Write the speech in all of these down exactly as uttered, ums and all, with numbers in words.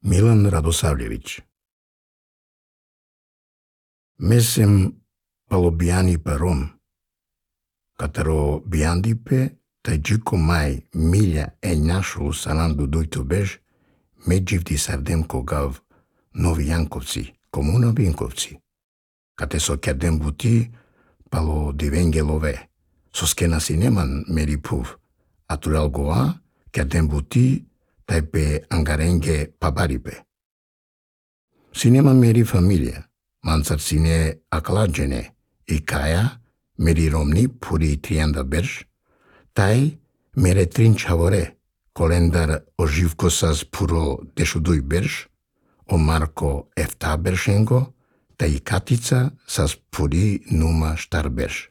Милан Радосавлевич. Месем палобиани паром, катеро биандипе тајджико мај милја е нашолу сананду дујто беж, меѓивди сардем когав Нови Јанковци, комуна Винковци, кате со кедем бути пало дивенгелове, со скена синеман мерипув, атурал гоа кедем бути тајпе ангаренге пабарипе. Синема мери фамилија, мансар сине акладжене, и каја мери ромни пури трианда берж, тај мере трин чаворе, колендар оживко сас пуро дешудуј берж, о Марко ефта бершенго, тај катица сас пури нума штар берж.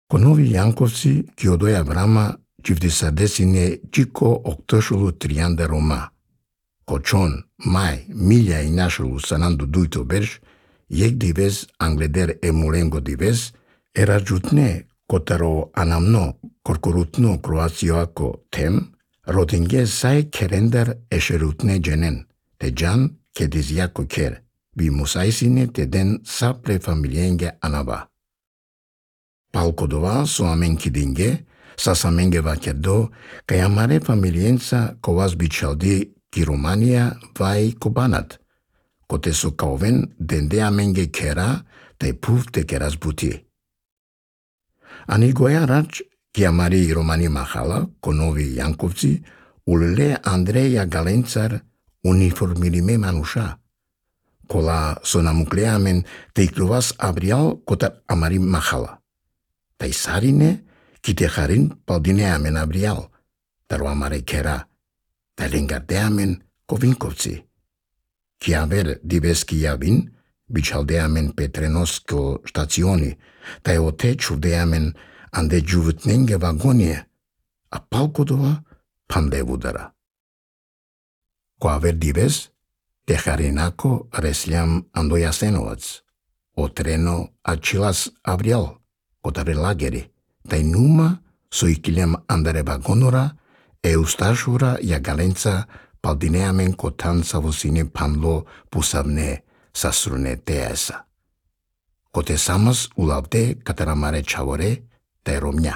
Ко Нови Јанковци ки одоја врама џивди са десине џико октошулу трианда рома. Кочон, мај, милја и нашолу сананду дујто берж, јек дивез англедер емуленго дивез, ера џутне котаро анамно коркорутно кроациоако тем, родинге сај керендар ешерутне дженен, те джан кедизјако кер, ви мусајсине те ден сапле фамилиенге анаба. Палкодова со аменки динге, сас аменге вакердо, кај амаре фамилиенца коваз бичалди ки Романија вај кобанат, коте со каовен денде аменге кера, тај пув те керас бути. Ани гоја рач ки амари Романи махала, ко Нови Јанковци, улеле Андреја Галенцар униформириме мануша, кола со намуклеамен тај клувас абриал кота амари махала. Тај сарине ки те харин палдинеамен абриал, таро амаре кера, тај ленгардеамен ко Винковци. Ки авер дивески јавин, бичалдеамен петреноско штациони, тај оте чувдеамен анде џувутненге вагоние, а палкодова панде удара. Ко авер дивес, те харинако реслјам андо Јасеновац, отрено ачилас авриал, котаре лагери, тај нума со икилем андаре вагонора, е усташура ја Галенца палдинеамен котан са во сине панло пусавне сасруне тееса. Коте самас улавде катарамаре чаворе тај ромња.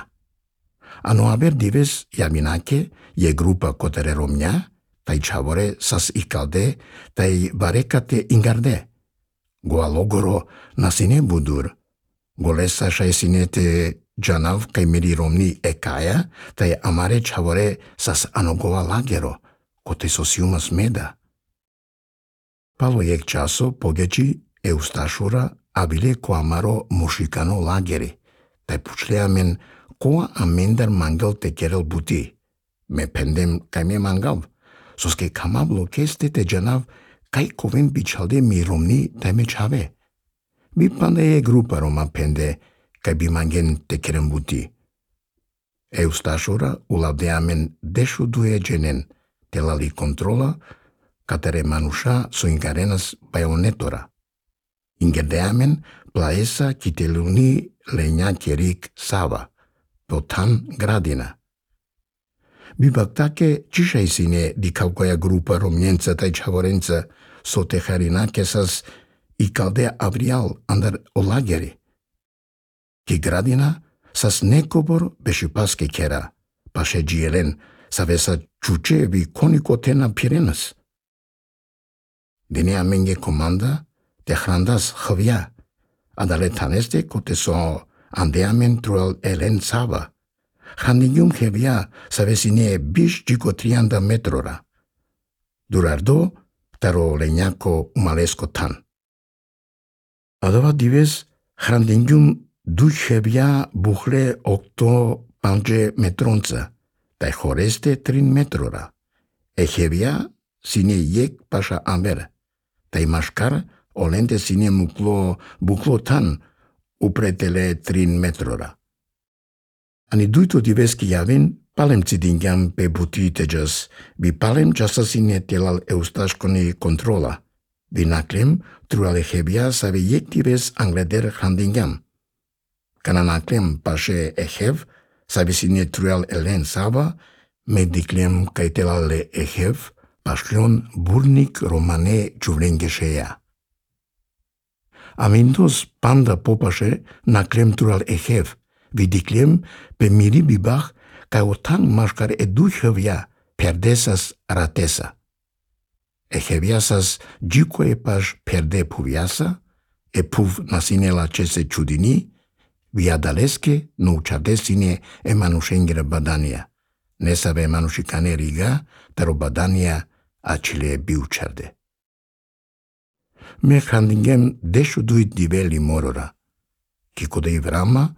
Ано абер дивес јавинаке е група котаре ромња, тај чаворе сас икалде, тај барекате ингарде. Гоа логоро на сине будур, голеса шај синете джанав кај мери ромни е каја, тај амаре чаворе сас аногова лагеро, коте со сиума смеда. Пало јек часо погејчи е усташура, а биле ко амаро мушикано лагери, тај пучлеамен коа амендар мангал те керел бути. Ме пендем кај ме мангал, соске камабло кесте те джанав кај ковен бичалде ми ромни тај ме чаве. Би панде е група рома пенде, кај би манген те керен бути. Е усташура улавдеамен дешу дуе дженен, телали контрола, катере мануша со ингаренас бајонетора. Ингердеамен плаеса кителуни лења керик сава, потан градина. Бибак таке чишај сине ди кавкоја група ромњенца тај чаворенца со техаринаке сас и калде авриал андар о лагери. Ки градина сас некобор беше паске кера, паше джиелен, савеса чуче ви конико тена пиренас. Дене аменге команда, те храндас хвја, а дале танесте коте со андеамен труел елен сава. Хандињум хевја савесине биш џико трианда метрора. Дурардо, таро лењако умалеско тан. Адава дивес храндињум дуј хевја бухле окто панџе метронца, тај хоресте трин метрора. Е хевја сине јек паша амбер, тај машкар оленте сине мукло букло тан, упретеле трин метрора. Ани дујто дивески јавин, палем цидингјам пе бути теджас, би палем часа сине телал еусташкони контрола, би наклем труале хевја саве јек дивес англедер храндингјам. Кана наклем паше ехев, саве сине труал елен сава, ме диклем кај телале ехев, Pașlion burnic romane giuvlengesceia. Amindos panda popașe naclem tural ehev, vidiclem pe miri bibach ca otan mașcar educhovia perdesas ratesa. Eheviasas gicoe paș perde puviasa, e puv nasinela cese ciudini, viadalesche nu ucadesine e manușengere badania. Nesave manușicane riga, taro badania acile biucerde. Me handingem dešu duit diveli morora. Kiko de ivrama,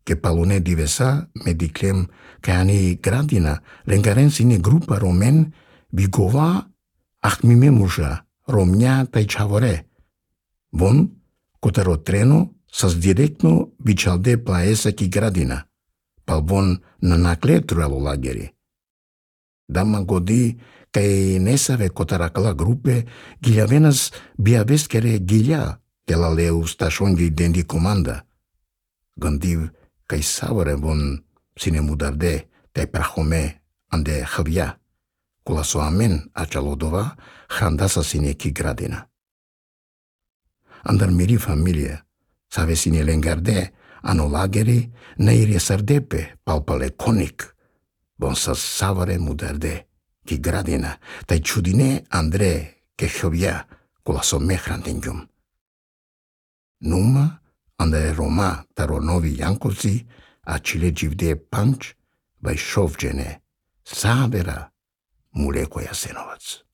che palune divesa, mediclem che ani gradina, lengaren sine grupa romen, vigova ahmime mușa, romnia tai chavore. Bon, cotero treno, sas directno vicalde plaesa ki gradina. Palbon nanakle tralo lageri. Dama godi, cae nesave cotaracala grupe, giliavenas biavescere gilia, de la leu stașonghi dendi comanda. Gândiv cae savare von sine mudarde, te prahome ande havia, cu la soamen acalodova, handasa sine ki gradina. Andar miri familie, save sine lengarde, ano lageri, neire sardepe, palpale conic, bon sa savare mudarde, ki gradina, tai ciudine Andre che chovia cu la sommehrandingium. Numa, ande Roma taro novi Jankovci, acile givde panč, vai šovđene, savera Muleko Jasenovac.